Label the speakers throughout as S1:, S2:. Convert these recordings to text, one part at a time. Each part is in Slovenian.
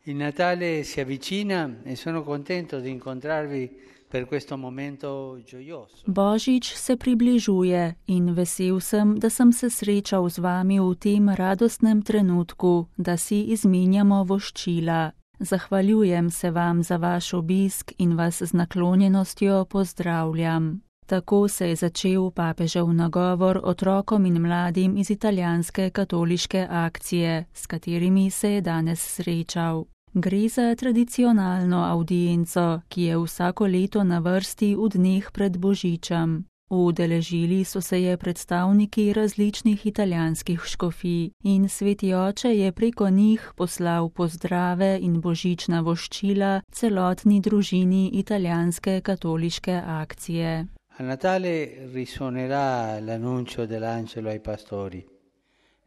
S1: Il Natale si avvicina e sono contento di incontrarvi per questo momento gioioso.
S2: Božič se približuje in vesel sem, da sem se srečal z vami v tem radostnem trenutku, da si izmenjamo voščila. Zahvaljujem se vam za vaš obisk in vas z naklonjenostjo pozdravljam. Tako se je začel papežev nagovor otrokom in mladim iz italijanske katoliške akcije, s katerimi se je danes srečal. Gre za tradicionalno avdienco, ki je vsako leto na vrsti v dneh pred Božičem. Udeležili so se je predstavniki različnih italijanskih škofij in Sveti Oče je preko njih poslal pozdrave in božična voščila celotni družini italijanske katoliške akcije.
S1: A Natale risuonerà l'annuncio dell'angelo ai pastori.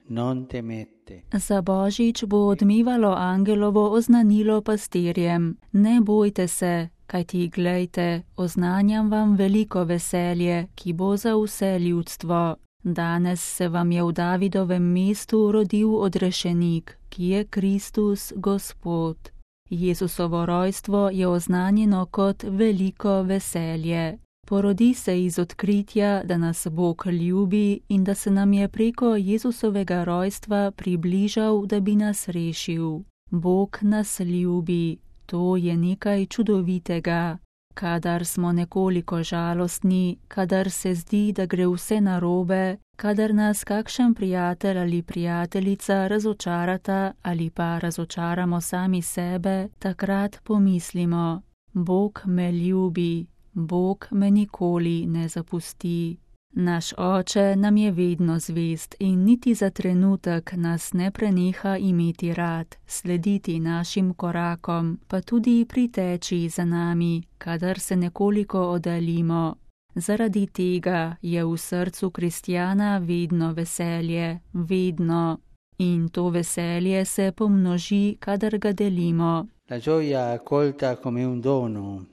S1: Non temete.
S2: Za Božič bo odmevalo angelovo oznanilo pastirjem. Ne bojte se, kajti glejte, oznanjam vam veliko veselje, ki bo za vse ljudstvo. Danes se vam je v Davidovem mestu rodil odrešenik, ki je Kristus Gospod. Jezusovo rojstvo je oznanjeno kot veliko veselje. Porodi se iz odkritja, da nas Bog ljubi in da se nam je preko Jezusovega rojstva približal, da bi nas rešil. Bog nas ljubi, to je nekaj čudovitega. Kadar smo nekoliko žalostni, kadar se zdi, da gre vse narobe, kadar nas kakšen prijatelj ali prijateljica razočarata ali pa razočaramo sami sebe, takrat pomislimo: Bog me ljubi. Bog me nikoli ne zapusti. Naš Oče nam je vedno zvest in niti za trenutek nas ne preneha imeti rad, slediti našim korakom, pa tudi priteči za nami, kadar se nekoliko oddaljimo. Zaradi tega je v srcu kristjana vedno veselje, vedno. In to veselje se pomnoži, kadar ga delimo.
S1: La gioia accolta come un dono.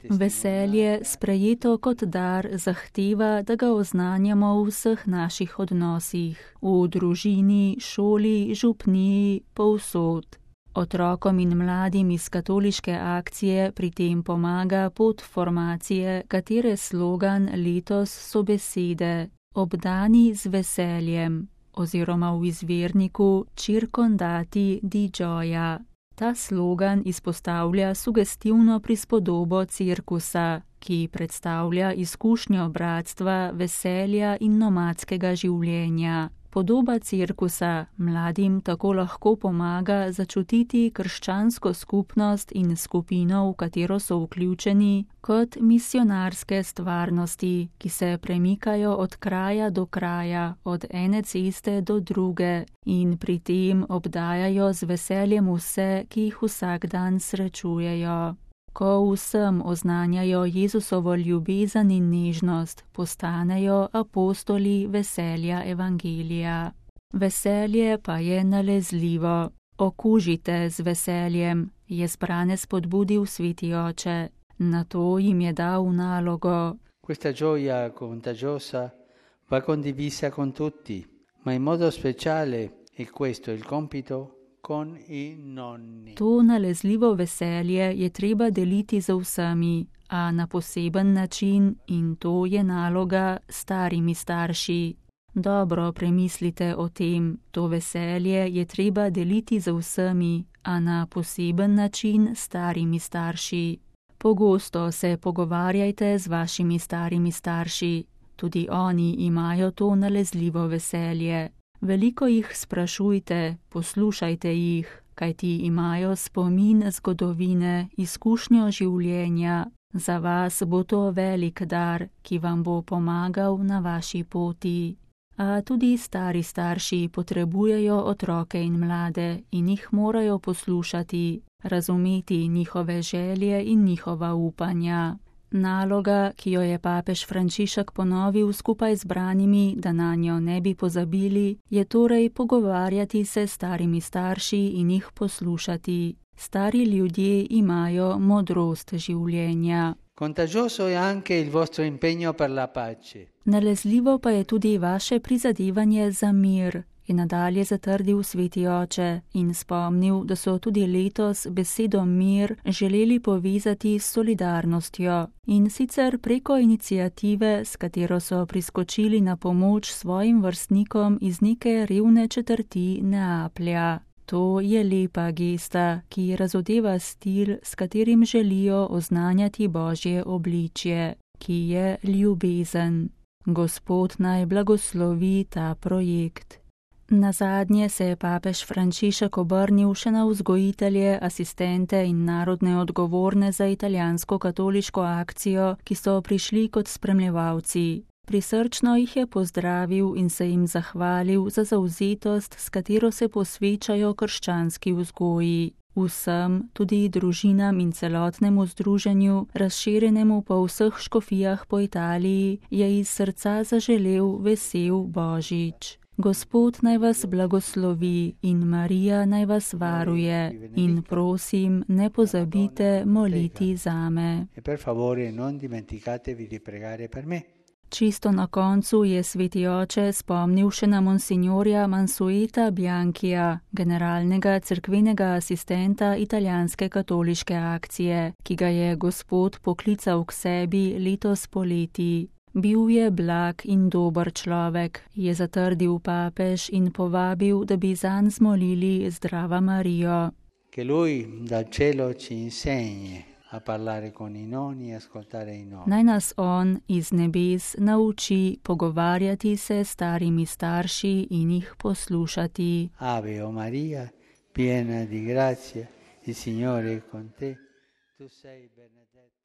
S2: Veselje, sprejeto kot dar, zahteva, da ga oznanjamo v vseh naših odnosih, v družini, šoli, župniji, povsod. Otrokom in mladim iz katoliške akcije pri tem pomaga pot formacije, katere slogan letos so besede: obdani z veseljem, oziroma v izvirniku circondati di gioia. Ta slogan izpostavlja sugestivno prispodobo cirkusa, ki predstavlja izkušnjo bratstva, veselja in nomadskega življenja. Podoba cirkusa mladim tako lahko pomaga začutiti krščansko skupnost in skupino, v katero so vključeni, kot misionarske stvarnosti, ki se premikajo od kraja do kraja, od ene ceste do druge in pri tem obdajajo z veseljem vse, ki jih vsak dan srečujejo. Ko vsem oznanjajo Jezusovo ljubezen in nežnost, postanejo apostoli veselja evangelija. Veselje pa je nalezljivo. Okužite z veseljem, je zbrane spodbudil Sveti Oče. Nato jim je dal nalogo.
S1: Questa gioia contagiosa va condivisa con tutti, ma in modo speciale, e questo è il compito, con i nonni.
S2: To nalezljivo veselje je treba deliti z vsemi, a na poseben način, in to je naloga starimi starši. Dobro premislite o tem, to veselje je treba deliti z vsemi, a na poseben način starimi starši. Pogosto se pogovarjajte z vašimi starimi starši, tudi oni imajo to nalezljivo veselje. Veliko jih sprašujte, poslušajte jih, kajti imajo spomin zgodovine, izkušnjo življenja. Za vas bo to velik dar, ki vam bo pomagal na vaši poti. A tudi stari starši potrebujejo otroke in mlade in jih morajo poslušati, razumeti njihove želje in njihova upanja. Naloga, ki jo je papež Frančišek ponovil skupaj z branimi, da nanjo ne bi pozabili, je torej pogovarjati se s starimi starši in jih poslušati. Stari ljudje imajo modrost življenja.
S1: Contagioso è anche il vostro impegno per la pace.
S2: Nalezljivo pa je tudi vaše prizadevanje za mir. je nadalje zatrdil sveti oče in spomnil, da so tudi letos besedo mir želeli povezati s solidarnostjo, in sicer preko iniciative, s katero so priskočili na pomoč svojim vrstnikom iz neke revne četrti Neaplja. To je lepa gesta, ki razodeva stil, s katerim želijo oznanjati Božje obličje, ki je ljubezen. Gospod naj blagoslovi ta projekt. Nazadnje se je papež Frančišek obrnil še na vzgojitelje, asistente in narodne odgovorne za italijansko katoliško akcijo, ki so prišli kot spremljevalci. Prisrčno jih je pozdravil in se jim zahvalil za zavzetost, s katero se posvečajo krščanski vzgoji. Vsem, tudi družinam in celotnemu združenju, razširjenemu po vseh škofijah po Italiji, je iz srca zaželel vesel Božič. Gospod naj vas blagoslovi in Marija naj vas varuje in prosim, ne pozabite moliti zame. Čisto na koncu je sveti oče spomnil še na monsignorja Mansueta Bianchija, generalnega cerkvenega asistenta italijanske katoliške akcije, ki ga je Gospod poklical k sebi letos poleti. Bil je blag in dober človek, je zatrdil papež in povabil, da bi zanj zmolili Zdrava Marijo. Naj nas on iz nebes nauči pogovarjati se s starimi starši in jih poslušati. Ave o Maria, piena di grazia, il Signore è con te, tu sei benedetta.